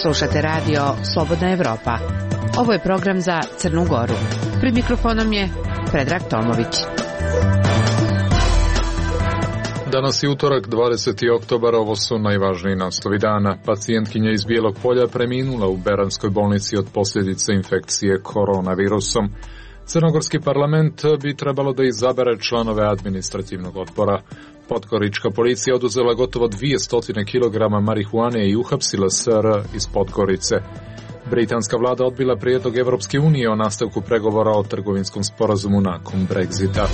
Slušate radio Slobodna Evropa. Ovo je program za Crnu Goru. Pred mikrofonom je Predrag Tomović. Danas je utorak, 20. oktobar, ovo su najvažniji naslovi dana. Pacijentkinja iz Bijelog Polja preminula u Beranskoj bolnici od posljedice infekcije koronavirusom. Crnogorski parlament bi trebalo da izabere članove administrativnog odbora. Podgorička policija oduzela gotovo 200 kg marihuane i uhapsila SR iz Podgorice. Britanska vlada odbila prijedlog Evropske unije o nastavku pregovora o trgovinskom sporazumu nakon Brexita.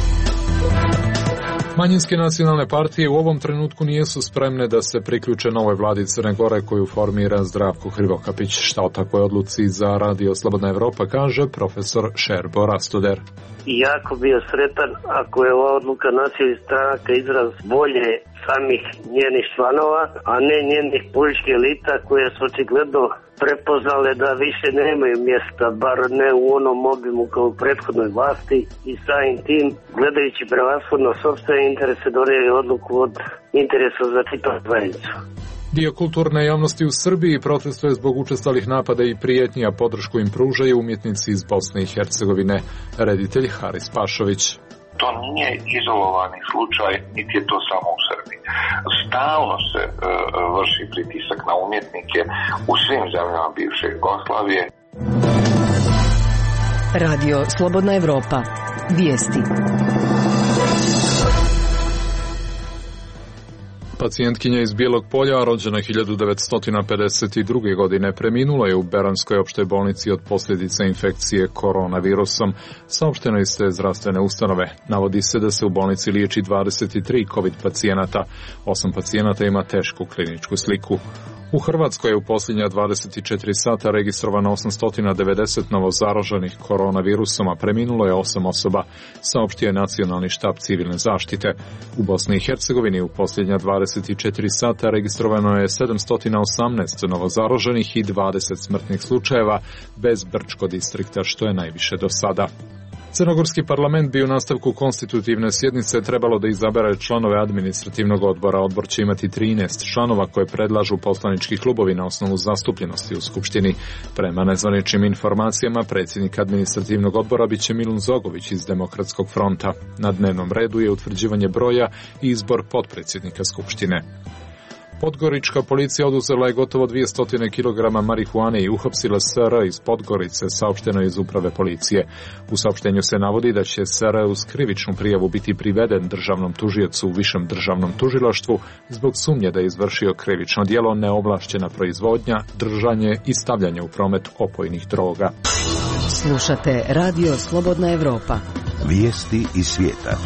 Manjinske nacionalne partije u ovom trenutku nijesu spremne da se priključe novoj vladi Crne Gore koju formira Zdravko Hrivokapić. Šta o takvoj odluci za Radio Slobodna Evropa kaže profesor Šerbo Rastoder. Jako bio sretan ako je ova odluka nacionalnih stranaka izraz volje samih njenih članova, a ne njenih političkih elita koje su očigledno prepoznale da više nemaju mjesta, bar ne u onom obimu kao u prethodnoj vlasti, i samim tim, gledajući prevashodno sopstvene interese, donijeli odluku od interesa za čitavu zajednicu. Dio kulturne javnosti u Srbiji protestuje zbog učestalih napada i prijetnji, a podršku im pružaju umjetnici iz Bosne i Hercegovine. Reditelj Haris Pašović. To nije izolovani slučaj, niti je to samo u Srbiji. Stalno se vrši pritisak na umjetnike u svim zemljama bivše Jugoslavije. Radio Slobodna Evropa. Vijesti. Pacijentkinja iz Bijelog Polja, rođena 1952. godine, preminula je u Beranskoj opštoj bolnici od posljedica infekcije koronavirusom. Saopšteno iz te zdravstvene ustanove. Navodi se da se u bolnici liječi 23 COVID pacijenata. 8 pacijenata ima tešku kliničku sliku. U Hrvatskoj je u posljednja 24 sata registrovano 890 novozaraženih koronavirusom, a preminulo je 8 osoba, saopštio je Nacionalni štab civilne zaštite. U Bosni i Hercegovini u posljednja 24 sata registrovano je 718 novozaraženih i 20 smrtnih slučajeva bez Brčko distrikta, što je najviše do sada. Crnogorski parlament bi u nastavku konstitutivne sjednice trebalo da izabere članove administrativnog odbora. Odbor će imati 13 članova koje predlažu poslanički klubovi na osnovu zastupljenosti u Skupštini. Prema nezvaničnim informacijama, predsjednik administrativnog odbora biće Milun Zogović iz Demokratskog fronta. Na dnevnom redu je utvrđivanje broja i izbor potpredsjednika Skupštine. Podgorička policija oduzela je gotovo 200 kg marihuane i uhapsila SR iz Podgorice, saopšteno iz uprave policije. U saopštenju se navodi da će SR uz krivičnu prijavu biti priveden državnom tužiocu u Višem državnom tužilaštvu zbog sumnje da je izvršio krivično djelo neovlašćena proizvodnja, držanje i stavljanje u promet opojnih droga. Slušate Radio Slobodna Evropa. Vijesti iz svijeta.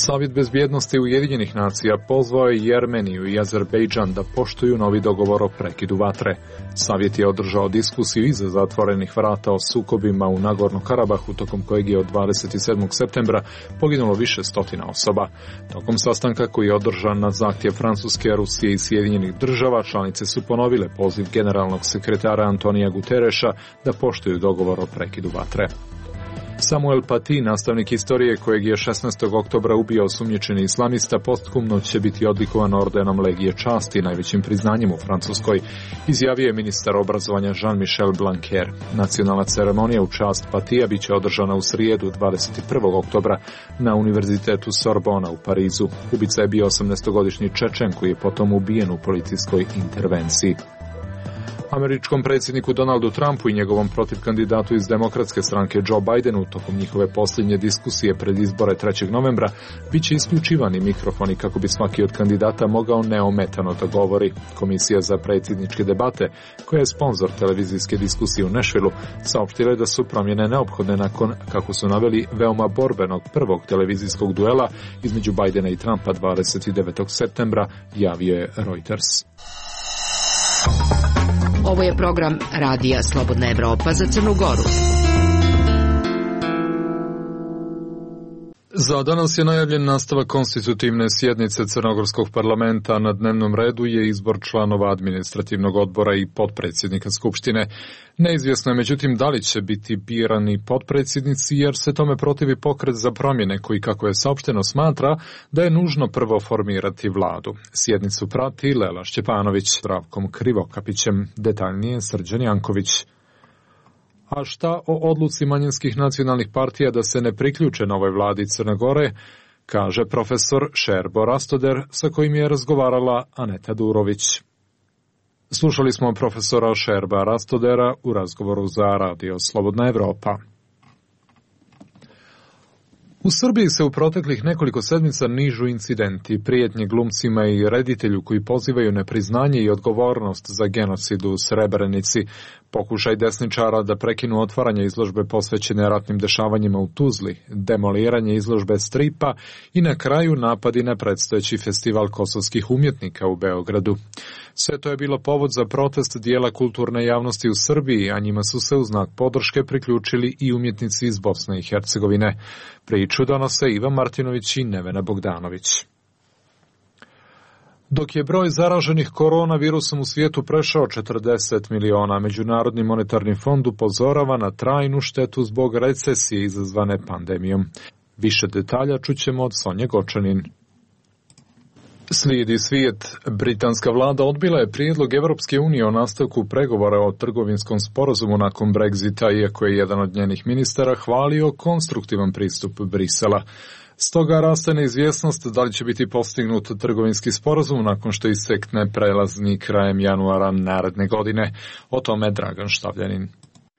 Savjet bezbjednosti Ujedinjenih nacija pozvao je Jermeniju i Azerbejdžan da poštuju novi dogovor o prekidu vatre. Savjet je održao diskusiju iza zatvorenih vrata o sukobima u Nagorno Karabahu, tokom kojeg je od 27. septembra poginulo više stotina osoba. Tokom sastanka koji je održan na zahtjev Francuske, Rusije i Sjedinjenih država, članice su ponovile poziv generalnog sekretara Antonija Gutereša da poštuju dogovor o prekidu vatre. Samuel Paty, nastavnik istorije kojeg je 16. oktobra ubio osumnjičeni islamista, posthumno će biti odlikovan ordenom Legije časti, najvećim priznanjem u Francuskoj, izjavio je ministar obrazovanja Jean-Michel Blanquer. Nacionalna ceremonija u čast Patija bit će održana u srijedu 21. oktobra na Univerzitetu Sorbona u Parizu. Ubica je bio 18-godišnji Čečen koji je potom ubijen u policijskoj intervenciji. Američkom predsjedniku Donaldu Trumpu i njegovom protivkandidatu iz Demokratske stranke Joe Bidenu tokom njihove posljednje diskusije pred izbore 3. novembra bit će isključivani mikrofoni kako bi svaki od kandidata mogao neometano da govori. Komisija za predsjedničke debate, koja je sponzor televizijske diskusije u Nashvilleu, saopštila je da su promjene neophodne nakon, kako su naveli, veoma borbenog prvog televizijskog duela između Bidena i Trumpa 29. septembra, javio je Reuters. Ovo je program Radija Slobodna Evropa za Crnu Goru. Za danas je najavljen nastavak konstitutivne sjednice Crnogorskog parlamenta. Na dnevnom redu je izbor članova administrativnog odbora i potpredsjednika Skupštine. Neizvjesno je međutim da li će biti birani potpredsjednici, jer se tome protivi Pokret za promjene koji, kako je saopšteno, smatra da je nužno prvo formirati vladu. Sjednicu prati Lela Šćepanović s Zdravkom Krivokapićem, detaljnije Srđan Janković. A šta o odluci manjinskih nacionalnih partija da se ne priključe novoj vladi Crne Gore, kaže profesor Šerbo Rastoder, sa kojim je razgovarala Aneta Durović. Slušali smo profesora Šerba Rastodera u razgovoru za Radio Slobodna Evropa. U Srbiji se u proteklih nekoliko sedmica nižu incidenti, prijetnje glumcima i reditelju koji pozivaju nepriznanje i odgovornost za genocid u Srebrenici, pokušaj desničara da prekinu otvaranje izložbe posvećene ratnim dešavanjima u Tuzli, demoliranje izložbe stripa i na kraju napadi na predstojeći festival kosovskih umjetnika u Beogradu. Sve to je bilo povod za protest dijela kulturne javnosti u Srbiji, a njima su se u znak podrške priključili i umjetnici iz Bosne i Hercegovine. Priču donose Ivan Martinović i Nevena Bogdanović. Dok je broj zaraženih koronavirusom u svijetu prešao 40 miliona, Međunarodni monetarni fond upozorava na trajnu štetu zbog recesije izazvane pandemijom. Više detalja čućemo od Sonje Gočanin. Slijedi svijet. Britanska vlada odbila je prijedlog Evropske unije o nastavku pregovora o trgovinskom sporazumu nakon Brexita, iako je jedan od njenih ministara hvalio konstruktivan pristup Brisela. Stoga raste neizvjesnost da li će biti postignut trgovinski sporazum nakon što istekne prelazni krajem januara naredne godine. O tome Dragan Štavljanin.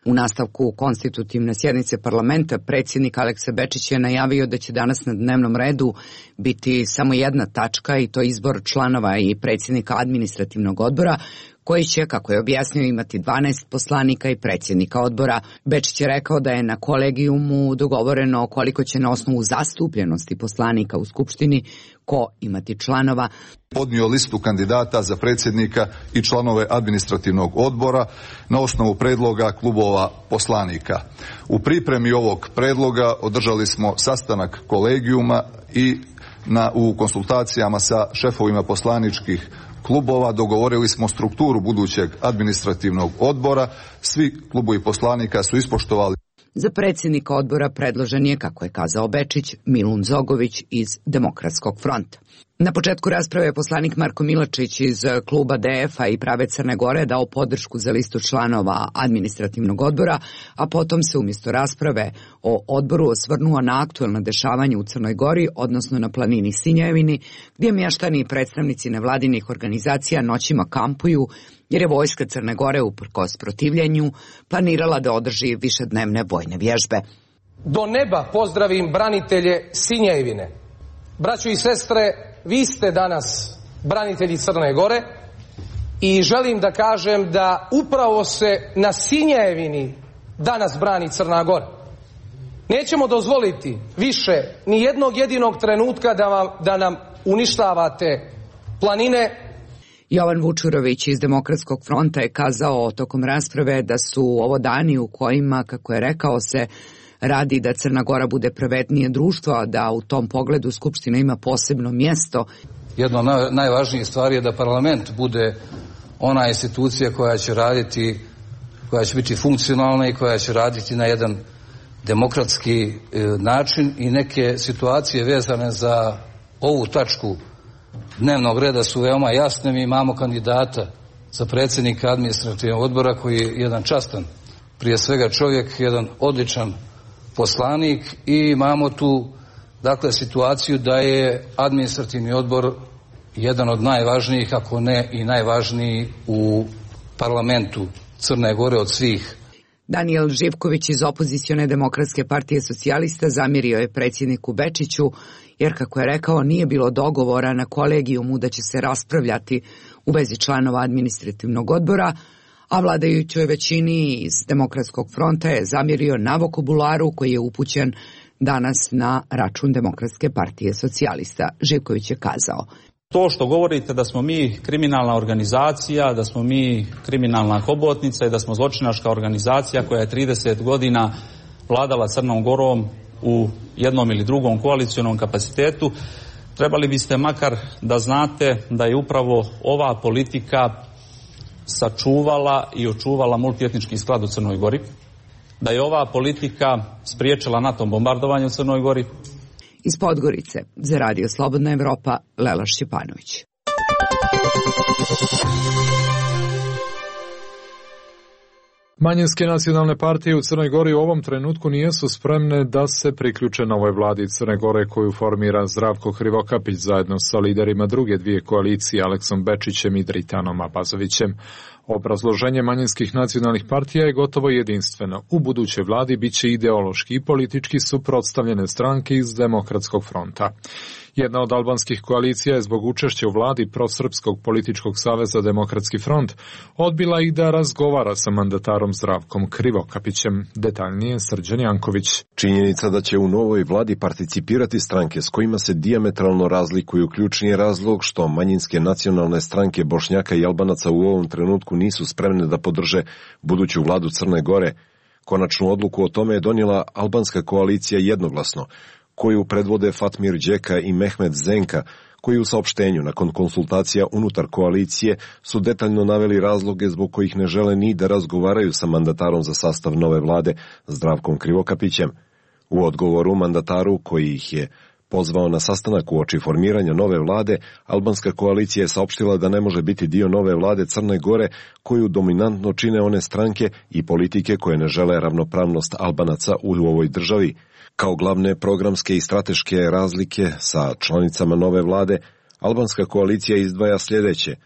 U nastavku konstitutivne sjednice parlamenta predsjednik Aleksa Bečić je najavio da će danas na dnevnom redu biti samo jedna tačka, i to izbor članova i predsjednika administrativnog odbora, koji će, kako je objasnio, imati 12 poslanika i predsjednika odbora. Bečić je rekao da je na kolegijumu dogovoreno koliko će na osnovu zastupljenosti poslanika u Skupštini ko imati članova. Podnio listu kandidata za predsjednika i članove administrativnog odbora na osnovu predloga klubova poslanika. U pripremi ovog predloga održali smo sastanak kolegijuma i u konsultacijama sa šefovima poslaničkih klubova dogovorili smo strukturu budućeg administrativnog odbora. Svi klubovi poslanika su ispoštovali. Za predsjednika odbora predložen je, kako je kazao Bečić, Milun Zogović iz Demokratskog fronta. Na početku rasprave je poslanik Marko Milačić iz kluba DF-a i Prave Crne Gore dao podršku za listu članova administrativnog odbora, a potom se umjesto rasprave o odboru osvrnuo na aktuelno dešavanje u Crnoj Gori, odnosno na planini Sinjevini, gdje mještani i predstavnici nevladinih organizacija noćima kampuju, jer je vojska Crne Gore, uprkos protivljenju, planirala da održi višednevne vojne vježbe. Do neba pozdravim branitelje Sinjevine. Braćo i sestre, vi ste danas branitelji Crne Gore i želim da kažem da upravo se na Sinjevini danas brani Crna Gora. Nećemo dozvoliti više ni jednog jedinog trenutka da nam uništavate planine. Jovan Vučurović iz Demokratskog fronta je kazao tokom rasprave da su ovo dani u kojima, kako je rekao, se radi da Crna Gora bude pravednije društvo, a da u tom pogledu Skupština ima posebno mjesto. Jedna od najvažnijih stvari je da parlament bude ona institucija koja će raditi, koja će biti funkcionalna i koja će raditi na jedan demokratski način, i neke situacije vezane za ovu tačku dnevnog reda su veoma jasne. Mi imamo kandidata za predsjednika administrativnog odbora koji je jedan častan, prije svega čovjek, jedan odličan poslanik, i imamo tu dakle situaciju da je administrativni odbor jedan od najvažnijih, ako ne i najvažniji u parlamentu Crne Gore od svih. Danijel Živković iz opozicione Demokratske partije socijalista zamjerio je predsjedniku Bečiću, jer, kako je rekao, nije bilo dogovora na kolegijumu da će se raspravljati u vezi članova administrativnog odbora, a vladajućoj većini iz Demokratskog fronta je zamjerio na vokabularu koji je upućen danas na račun Demokratske partije socijalista. Živković je kazao: to što govorite da smo mi kriminalna organizacija, da smo mi kriminalna hobotnica i da smo zločinačka organizacija koja je 30 godina vladala Crnom Gorom, u jednom ili drugom koalicionom kapacitetu, trebali biste makar da znate da je upravo ova politika sačuvala i očuvala multietnički sklad u Crnoj Gori, da je ova politika spriječila NATO bombardovanje u Crnoj Gori. Iz Podgorice za Radio Slobodna Evropa, Lela Šćepanović. Manjinske nacionalne partije u Crnoj Gori u ovom trenutku nijesu spremne da se priključe novoj vladi Crne Gore koju formira Zdravko Krivokapić zajedno sa liderima druge dvije koalicije Aleksom Bečićem i Dritanom Abazovićem. Obrazloženje manjinskih nacionalnih partija je gotovo jedinstveno. U budućoj vladi biće ideološki i politički suprotstavljene stranke iz Demokratskog fronta. Jedna od albanskih koalicija je zbog učešća u vladi prosrpskog političkog saveza Demokratski front odbila i da razgovara sa mandatarom Zdravkom Krivokapićem. Detaljnije Srđan Janković. Činjenica da će u novoj vladi participirati stranke s kojima se dijametralno razlikuju ključni je razlog što manjinske nacionalne stranke Bošnjaka i Albanaca u ovom trenutku nisu spremne da podrže buduću vladu Crne Gore. Konačnu odluku o tome je donijela albanska koalicija jednoglasno, koju predvode Fatmir Đeka i Mehmet Zenka, koji u saopštenju nakon konsultacija unutar koalicije su detaljno naveli razloge zbog kojih ne žele ni da razgovaraju sa mandatarom za sastav nove vlade Zdravkom Krivokapićem. U odgovoru mandataru koji ih je pozvao na sastanak uoči formiranja nove vlade, albanska koalicija je saopštila da ne može biti dio nove vlade Crne Gore koju dominantno čine one stranke i politike koje ne žele ravnopravnost Albanaca u ovoj državi. Kao glavne programske i strateške razlike sa članicama nove vlade, albanska koalicija izdvaja sljedeće: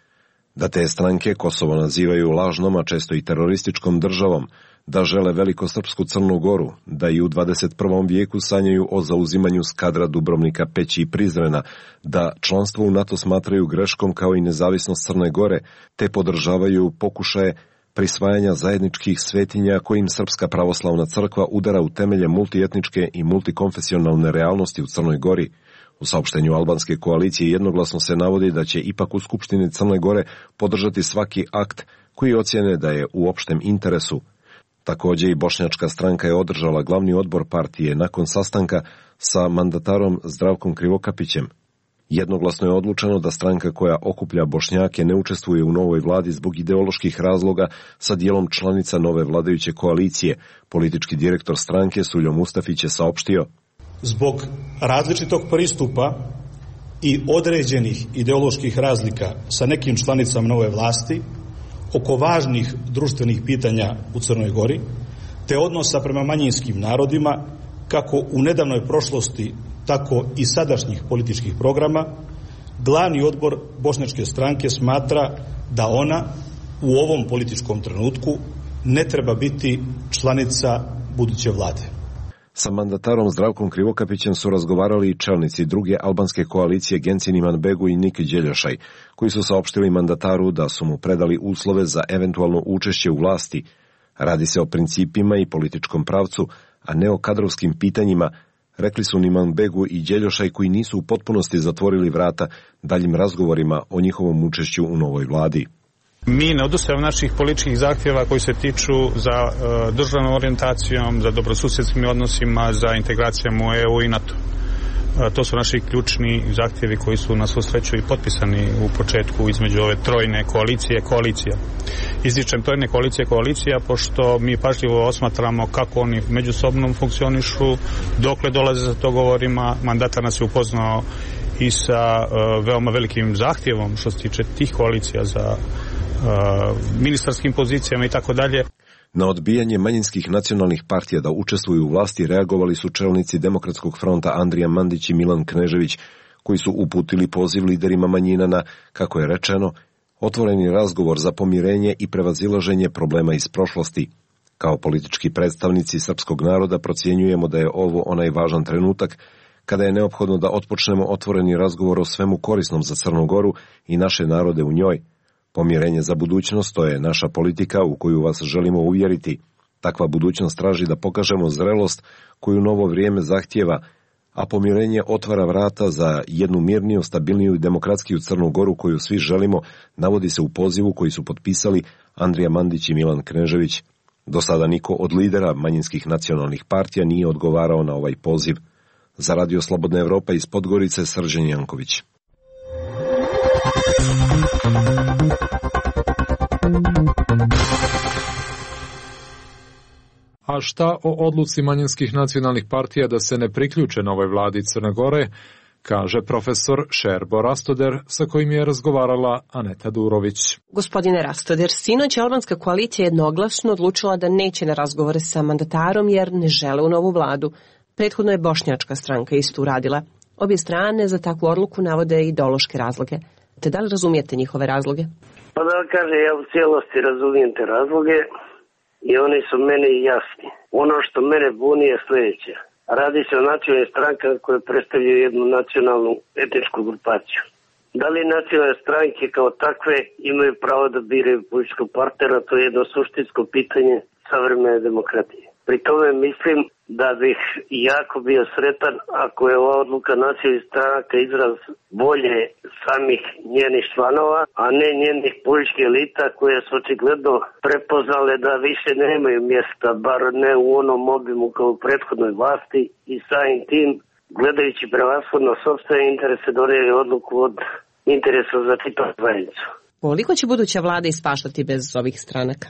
da te stranke Kosovo nazivaju lažnom, a često i terorističkom državom, da žele velikosrpsku Crnu Goru, da i u 21. vijeku sanjaju o zauzimanju Skadra, Dubrovnika, Peći i Prizrena, da članstvo u NATO smatraju greškom kao i nezavisnost Crne Gore, te podržavaju pokušaje prisvajanja zajedničkih svetinja kojim Srpska pravoslavna crkva udara u temelje multietničke i multikonfesionalne realnosti u Crnoj Gori. U saopštenju albanske koalicije jednoglasno se navodi da će ipak u Skupštini Crne Gore podržati svaki akt koji ocjene da je u opštem interesu. Također i bošnjačka stranka je održala glavni odbor partije nakon sastanka sa mandatarom Zdravkom Krivokapićem. Jednoglasno je odlučeno da stranka koja okuplja Bošnjake ne učestvuje u novoj vladi zbog ideoloških razloga sa dijelom članica nove vladajuće koalicije. Politički direktor stranke Suljo Mustafić je saopštio: zbog različitog pristupa i određenih ideoloških razlika sa nekim članicama nove vlasti oko važnih društvenih pitanja u Crnoj Gori, te odnosa prema manjinskim narodima, kako u nedavnoj prošlosti, tako i sadašnjih političkih programa, glavni odbor bošnjačke stranke smatra da ona u ovom političkom trenutku ne treba biti članica buduće vlade. Sa mandatarom Zdravkom Krivokapićem su razgovarali i čelnici druge albanske koalicije Gencin Imanbegu i Nik Đeljošaj, koji su saopštili mandataru da su mu predali uslove za eventualno učešće u vlasti. Radi se o principima i političkom pravcu, a ne o kadrovskim pitanjima, rekli su Imanbegu i Đeljošaj, koji nisu u potpunosti zatvorili vrata daljim razgovorima o njihovom učešću u novoj vladi. Mi ne odustajemo naših političkih zahtjeva koji se tiču za državnom orijentacijom, za dobrosusjedskim odnosima, za integracijom u EU i NATO. To su naši ključni zahtjevi koji su na svu sreću i potpisani u početku između ove trojne koalicija. Ističem trojne koalicija pošto mi pažljivo osmatramo kako oni međusobno funkcionišu, dokle dolaze za dogovorima. Mandatar nas je upoznao i sa veoma velikim zahtjevom što se tiče tih koalicija za ministarskim pozicijama i tako dalje. Na odbijanje manjinskih nacionalnih partija da učestvuju u vlasti reagovali su čelnici Demokratskog fronta Andrija Mandić i Milan Knežević, koji su uputili poziv liderima manjina na, kako je rečeno, otvoreni razgovor za pomirenje i prevazilaženje problema iz prošlosti. Kao politički predstavnici srpskog naroda procjenjujemo da je ovo onaj važan trenutak kada je neophodno da otpočnemo otvoreni razgovor o svemu korisnom za Crnu Goru i naše narode u njoj. Pomirenje za budućnost, to je naša politika u koju vas želimo uvjeriti. Takva budućnost traži da pokažemo zrelost koju novo vrijeme zahtijeva, a pomirenje otvara vrata za jednu mirniju, stabilniju i demokratskiju Crnu Goru koju svi želimo, navodi se u pozivu koji su potpisali Andrija Mandić i Milan Knežević. Do sada niko od lidera manjinskih nacionalnih partija nije odgovarao na ovaj poziv. Za Radio Slobodna Evropa iz Podgorice, Srđan Janković. A šta o odluci manjinskih nacionalnih partija da se ne priključe novoj vladi Crne Gore, kaže profesor Šerbo Rastoder, sa kojim je razgovarala Aneta Durović. Gospodine Rastoder, sinoć je albanska koalicija jednoglasno odlučila da neće na razgovore sa mandatarom jer ne žele u novu vladu. Prethodno je bošnjačka stranka isto uradila. Obje strane za takvu odluku navode ideološke razloge. Te da li razumijete njihove razloge? Pa da kaže, ja u cijelosti razumijem te razloge i oni su meni jasni. Ono što mene buni je sljedeće. Radi se o nacionalnim strankama koje predstavljaju jednu nacionalnu etničku grupaciju. Da li nacionalne stranke kao takve imaju pravo da biraju političkog partnera, to je jedno suštinsko pitanje savremene demokratije. Pri tome mislim da bih jako bio sretan ako je ova odluka nacionalnih stranaka izraz volje samih njenih članova, a ne njenih političkih elita koje su očigledno prepoznale da više nemaju mjesta, bar ne u onom obimu kao u prethodnoj vlasti i samim tim, gledajući prevashodno sopstvene interese, donijeli odluku od interesa za čitavu zajednicu. Koliko će buduća vlada ispaštati bez ovih stranaka?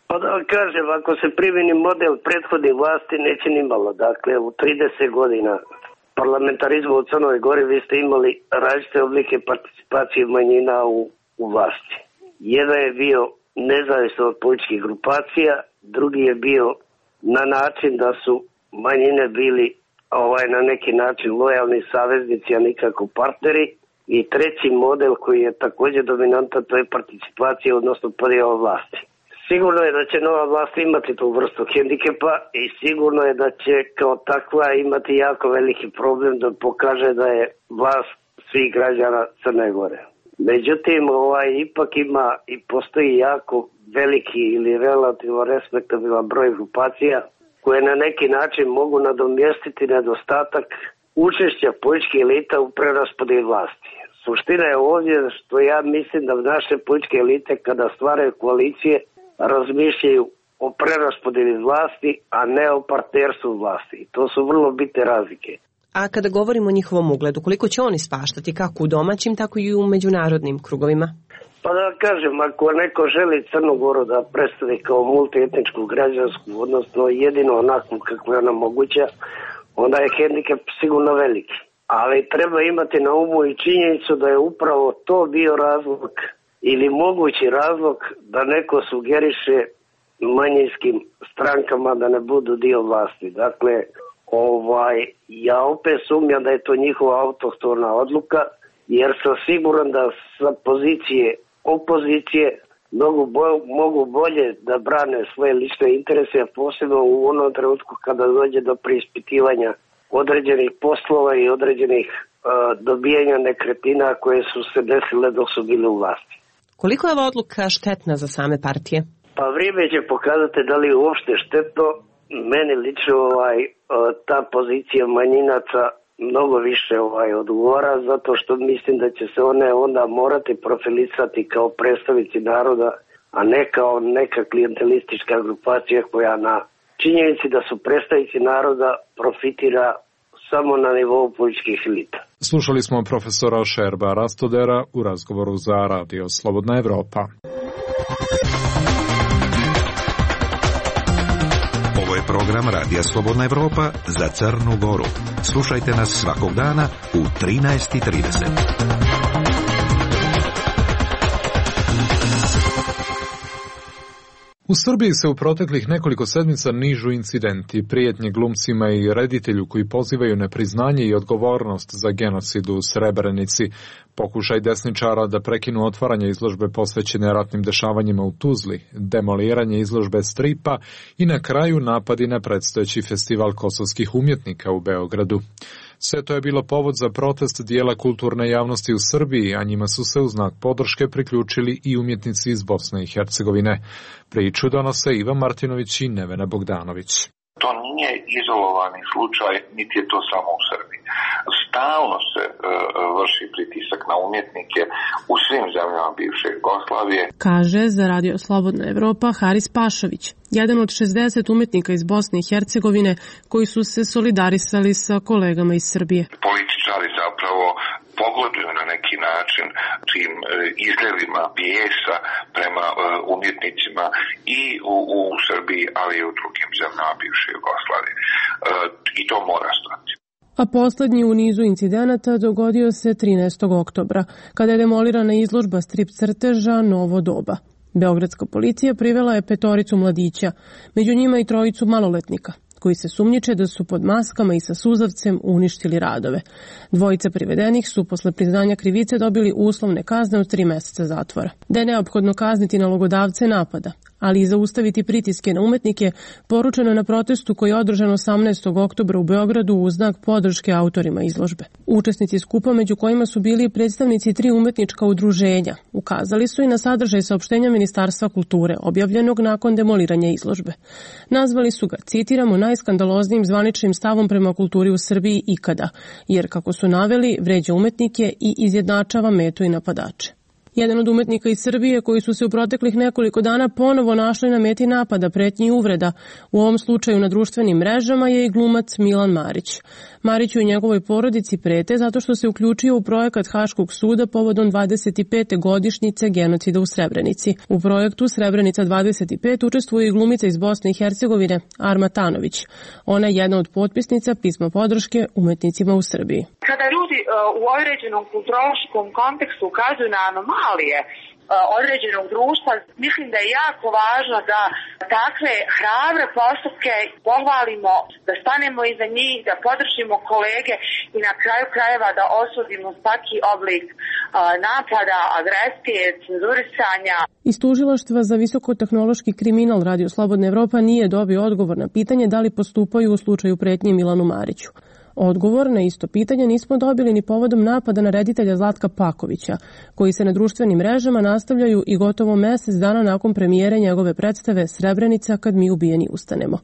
Pa da kažem, ako se primjeni model prethodnih vlasti, neće ni malo. Dakle, u 30 godina parlamentarizma u Crnoj Gori vi ste imali različite oblike participacije manjina u vlasti. Jedan je bio nezavisno od političkih grupacija, drugi je bio na način da su manjine bili na neki način lojalni saveznici, a nikako partneri. I treći model koji je također dominantan, to je participacija, odnosno podjela vlasti. Sigurno je da će nova vlast imati tu vrstu hendikepa i sigurno je da će kao takva imati jako veliki problem da pokaže da je vlast svih građana Crne Gore. Međutim, ipak ima i postoji jako veliki ili relativno respektabilan broj grupacija koje na neki način mogu nadomjestiti nedostatak učešća političkih elita u preraspodjeli vlasti. Suština je ovdje što ja mislim da naše političke elite kada stvaraju koalicije razmišljaju o preraspodjeli vlasti, a ne o partnerstvu vlasti. To su vrlo bitne razlike. A kada govorimo o njihovom ugledu, koliko će oni spaštati kako u domaćim, tako i u međunarodnim krugovima? Pa da kažem, ako neko želi Crnu Goru da predstavi kao multietničku građansku, odnosno jedino onako kako je ona moguća, onda je hendikep sigurno veliki. Ali treba imati na umu i činjenicu da je upravo to bio razlog ili mogući razlog da neko sugeriše manjinskim strankama da ne budu dio vlasti. Dakle, ja opet sumnjam da je to njihova autohtona odluka, jer sam siguran da sa pozicije opozicije mogu bolje da brane svoje lične interese, a posebno u onom trenutku kada dođe do preispitivanja određenih poslova i određenih dobijanja nekretnina koje su se desile dok su bili u vlasti. Koliko je ova odluka štetna za same partije? Pa vrijeme će pokazati da li je uopšte štetno. Meni lično ta pozicija manjinaca mnogo više odgovara, zato što mislim da će se one onda morati profilisati kao predstavnici naroda, a ne kao neka klijentelistička grupacija koja na činjenici da su predstavnici naroda profitira samo na nivou političkih elita. Slušali smo profesora Šerba Rastodera u razgovoru za Radio Slobodna Evropa. Ovo je program Radija Slobodna Evropa za Crnu Goru. Slušajte nas svakog dana u 13:30. U Srbiji se u proteklih nekoliko sedmica nižu incidenti, prijetnje glumcima i reditelju koji pozivaju na priznanje i odgovornost za genocid u Srebrenici, pokušaj desničara da prekinu otvaranje izložbe posvećene ratnim dešavanjima u Tuzli, demoliranje izložbe stripa i na kraju napadi na predstojeći festival kosovskih umjetnika u Beogradu. Sve to je bilo povod za protest dijela kulturne javnosti u Srbiji, a njima su se u znak podrške priključili i umjetnici iz Bosne i Hercegovine. Priču donose Ivan Martinović i Nevena Bogdanović. To nije izolovani slučaj, niti je to samo u Srbiji. Stalno se vrši pritisak na umjetnike u svim zemljama bivše Jugoslavije. Kaže za Radio Slobodna Evropa Haris Pašović, jedan od 60 umetnika iz Bosne i Hercegovine koji su se solidarisali sa kolegama iz Srbije. Političari zapravo pogoduju na neki način tim izljevima bijesa prema umjetnicima i u Srbiji, ali i u drugim zemljama bivše Jugoslavije. I to mora stati. A poslednji u nizu incidenata dogodio se 13. oktobra, kada je demolirana izložba strip crteža Novo doba. Beogradska policija privela je 5 mladića, među njima i 3 maloletnika, koji se sumnjiče da su pod maskama i sa suzavcem uništili radove. 2 privedenih su posle priznanja krivice dobili uslovne kazne od 3 meseca zatvora. Da je neophodno kazniti nalogodavce napada, ali i zaustaviti pritiske na umetnike, poručeno je na protestu koji je održan 18. oktobra u Beogradu u znak podrške autorima izložbe. Učesnici skupa, među kojima su bili predstavnici 3 umetnička udruženja, ukazali su i na sadržaj saopštenja Ministarstva kulture, objavljenog nakon demoliranja izložbe. Nazvali su ga, citiramo, najskandaloznijim zvaničnim stavom prema kulturi u Srbiji ikada, jer, kako su naveli, vređa umetnike i izjednačava metu i napadače. Jedan od umetnika iz Srbije koji su se u proteklih nekoliko dana ponovo našli na meti napada, pretnji i uvreda, u ovom slučaju na društvenim mrežama, je i glumac Milan Marić. Mariću i njegovoj porodici prete zato što se uključio u projekat Haškog suda povodom 25. godišnjice genocida u Srebrenici. U projektu Srebrenica 25 učestvuje i glumica iz Bosne i Hercegovine Arma Tanović. Ona je jedna od potpisnica pisma podrške umetnicima u Srbiji. Kada ljudi u određenom kulturološkom kontekstu ukazuju na anomalije određenog društva, mislim da je jako važno da takve hrabre postupke pohvalimo, da stanemo iza njih, da podržimo kolege i na kraju krajeva da osudimo svaki oblik napada, agresije, cenzurisanja. Iz tužilaštva za visokotehnološki kriminal Radio Slobodna Evropa nije dobio odgovor na pitanje da li postupaju u slučaju pretnje Milanu Mariću. Odgovor na isto pitanje nismo dobili ni povodom napada na reditelja Zlatka Pakovića, koji se na društvenim mrežama nastavljaju i gotovo mesec dana nakon premijere njegove predstave Srebrenica kad mi ubijeni ustanemo.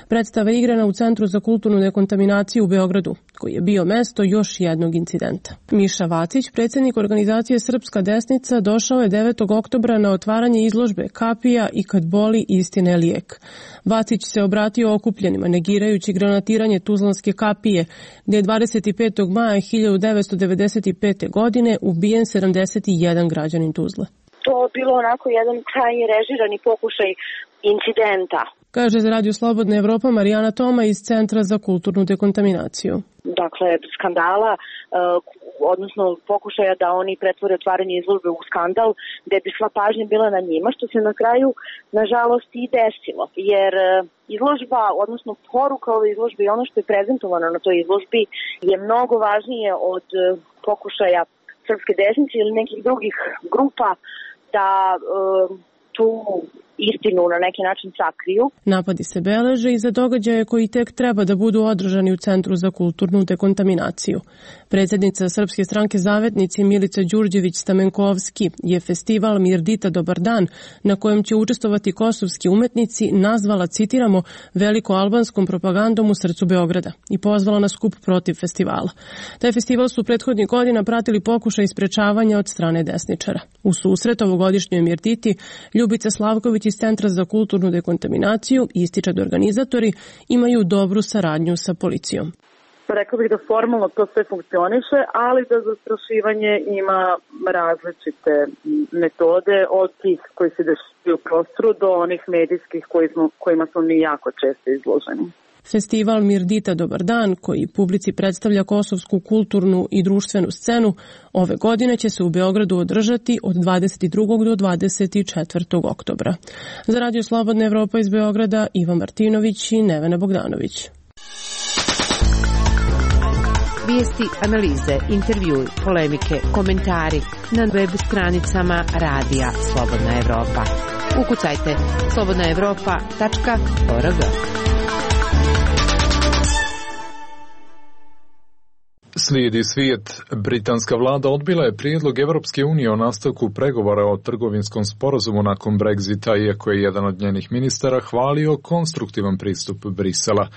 Predstava je igrana u Centru za kulturnu dekontaminaciju u Beogradu, koji je bio mesto još jednog incidenta. Miša Vacić, predsjednik organizacije Srpska desnica, došao je 9. oktobra na otvaranje izložbe Kapija i kad boli istina je lijek. Vacić se obratio okupljenima, negirajući granatiranje Tuzlanske kapije, gdje je 25. maja 1995. godine ubijen 71 građanin Tuzle. To je bilo onako jedan krajnje režirani pokušaj incidenta. Kaže za Radio Slobodna Evropa Marijana Toma iz Centra za kulturnu dekontaminaciju. Dakle, skandala, odnosno pokušaja da oni pretvore otvaranje izložbe u skandal, gde bi sva pažnja bila na njima, što se na kraju, nažalost, i desilo. Jer izložba, odnosno poruka ove izložbe i ono što je prezentovano na toj izložbi je mnogo važnije od pokušaja Srpske desnice ili nekih drugih grupa da tu istinu na neki način sakriju. Napadi se beleže i za događaje koji tek treba da budu održani u Centru za kulturnu dekontaminaciju. Predsjednica Srpske stranke Zavetnici Milica Đurđević-Stamenkovski je festival Mirdita Dobar dan, na kojem će učestvovati kosovski umetnici, nazvala, citiramo, veliko-albanskom propagandom u srcu Beograda i pozvala na skup protiv festivala. Taj festival su prethodnih godina pratili pokušaj sprečavanja od strane desničara. U susret ovogodišnjoj Mirditi Ljubica Slavković iz Centra za kulturnu dekontaminaciju ističe da organizatori imaju dobru saradnju sa policijom. Rekao bih da formalno to sve funkcioniše, ali da zastrašivanje ima različite metode od tih koji se dešavaju u prostoru do onih medijskih kojima smo mi jako često izloženi. Festival Mirdita Dobar dan, koji publici predstavlja kosovsku kulturnu i društvenu scenu, ove godine će se u Beogradu održati od 22. do 24. oktobra. Za Radio Slobodna Evropa iz Beograda, Ivan Martinović i Nevena Bogdanović. Vijesti, analize, intervjui, polemike, komentari na web stranicama Radija Slobodna Evropa. Ukucajte slobodnaevropa.org. Slijedi svijet. Britanska vlada odbila je prijedlog Evropske unije o nastavku pregovora o trgovinskom sporazumu nakon Brexita, iako je jedan od njenih ministara hvalio konstruktivan pristup Brisela.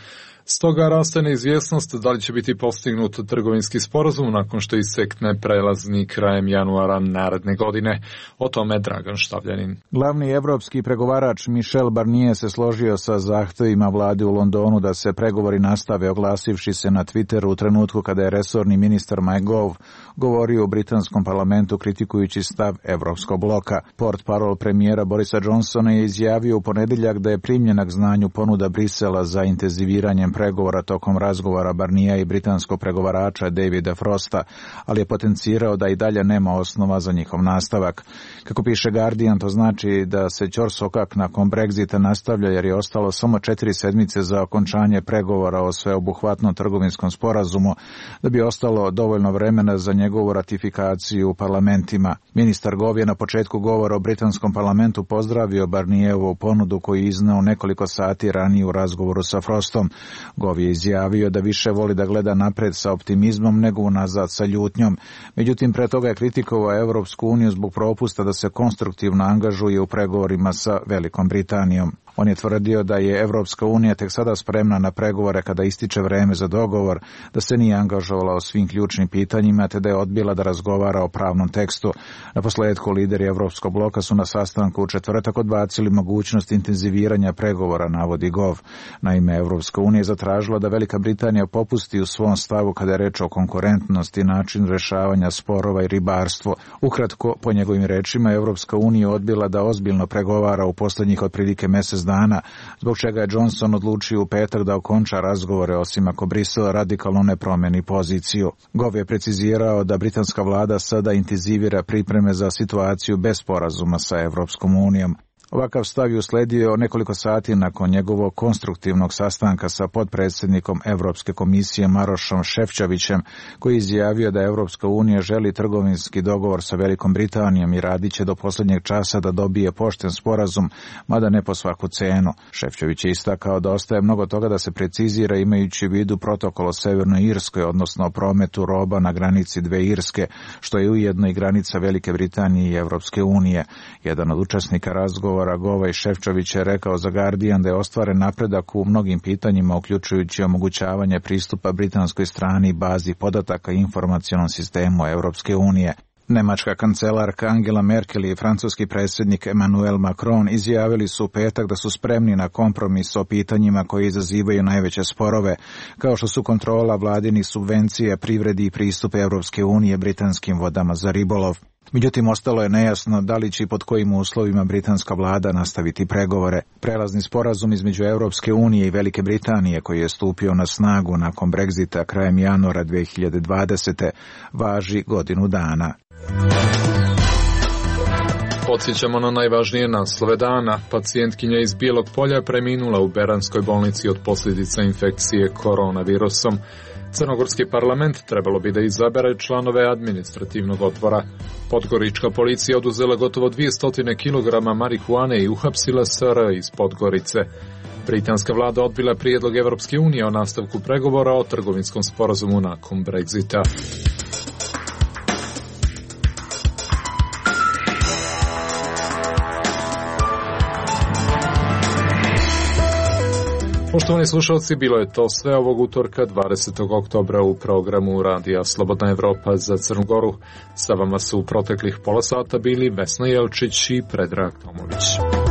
Stoga raste neizvjesnost da li će biti postignut trgovinski sporazum nakon što isekne prelazni krajem januara naredne godine. O tome Dragan Štavljanin. Glavni evropski pregovarač Michel Barnier se složio sa zahtjevima vlade u Londonu da se pregovori nastave, oglasivši se na Twitteru u trenutku kada je resorni ministar Mike Gove govorio u britanskom parlamentu kritikujući stav Evropskog bloka. Portparol premijera Borisa Johnsona je izjavio u ponedjeljak da je primljena k znanju ponuda Brisela za intenziviranjem pregovora tokom razgovora Barnija i britanskog pregovarača Davida Frosta, ali je potencirao da i dalje nema osnova za njihov nastavak. Kako piše Guardian, to znači da se ćorsokak nakon Brexita nastavlja jer je ostalo samo 4 sedmice za okončanje pregovora o sveobuhvatnom trgovinskom sporazumu, da bi ostalo dovoljno vremena za njegovu ratifikaciju u parlamentima. Ministar Gove je na početku govora o britanskom parlamentu pozdravio Barnijevu ponudu koju je izneo nekoliko sati ranije u razgovoru sa Frostom. Gove je izjavio da više voli da gleda napred sa optimizmom nego unazad sa ljutnjom. Međutim, pre toga je kritikovao Evropsku uniju zbog propusta da se konstruktivno angažuje u pregovorima sa Velikom Britanijom. On je tvrdio da je Evropska unija tek sada spremna na pregovore kada ističe vreme za dogovor, da se nije angažovala o svim ključnim pitanjima te da je odbila da razgovara o pravnom tekstu. Naposledku lideri Evropskog bloka su na sastanku u četvrtak odbacili mogućnost intenziviranja pregovora, navodi Gov. Naime, Evropska unija je zatražila da Velika Britanija popusti u svom stavu kada je reč o konkurentnosti i načinu rešavanja sporova i ribarstvo. Ukratko, po njegovim rečima, Evropska unija odbila da ozbiljno pregovara u posljednjih otprilike mjesec dana, zbog čega je Johnson odlučio u petak da okonča razgovore, osim ako Brisel radikalno ne promeni poziciju. Gove je precizirao da britanska vlada sada intenzivira pripreme za situaciju bez sporazuma sa Evropskom unijom. Ovakav stav je usledio nekoliko sati nakon njegovog konstruktivnog sastanka sa potpredsjednikom Evropske komisije Marošom Šefčovićem, koji je izjavio da Evropska unija želi trgovinski dogovor sa Velikom Britanijom i radit će do posljednjeg časa da dobije pošten sporazum, mada ne po svaku cenu. Šefčović je istakao da ostaje mnogo toga da se precizira imajući u vidu protokol o Severnoj Irskoj, odnosno o prometu roba na granici dve Irske, što je ujedno i granica Velike Britanije i Evropske unije. Jedan od učesnika razgovora Gova i Šefčović je rekao za Guardian da je ostvaren napredak u mnogim pitanjima, uključujući omogućavanje pristupa britanskoj strani bazi podataka i informacionom sistemu Evropske unije. Nemačka kancelarka Angela Merkel i francuski predsjednik Emmanuel Macron izjavili su u petak da su spremni na kompromis o pitanjima koji izazivaju najveće sporove, kao što su kontrola vladinih subvencija, privredi i pristup Evropske unije britanskim vodama za ribolov. Međutim, ostalo je nejasno da li će i pod kojim uslovima britanska vlada nastaviti pregovore. Prelazni sporazum između Evropske unije i Velike Britanije, koji je stupio na snagu nakon Brexita krajem januara 2020. važi godinu dana. Podsjećamo na najvažnije naslove dana. Pacijentkinja iz Bijelog Polja je preminula u Beranskoj bolnici od posljedica infekcije koronavirusom. Crnogorski parlament trebalo bi da izabere članove administrativnog odbora. Podgorička policija oduzela gotovo 200 kg marihuane i uhapsila SR iz Podgorice. Britanska vlada odbila prijedlog Evropske unije o nastavku pregovora o trgovinskom sporazumu nakon Brexita. Poštovani slušalci, bilo je to sve ovog utorka 20. oktobra u programu Radija Slobodna Evropa za Crnu Goru. Sa vama su u proteklih pola sata bili Vesna Jelčić i Predrag Tomović.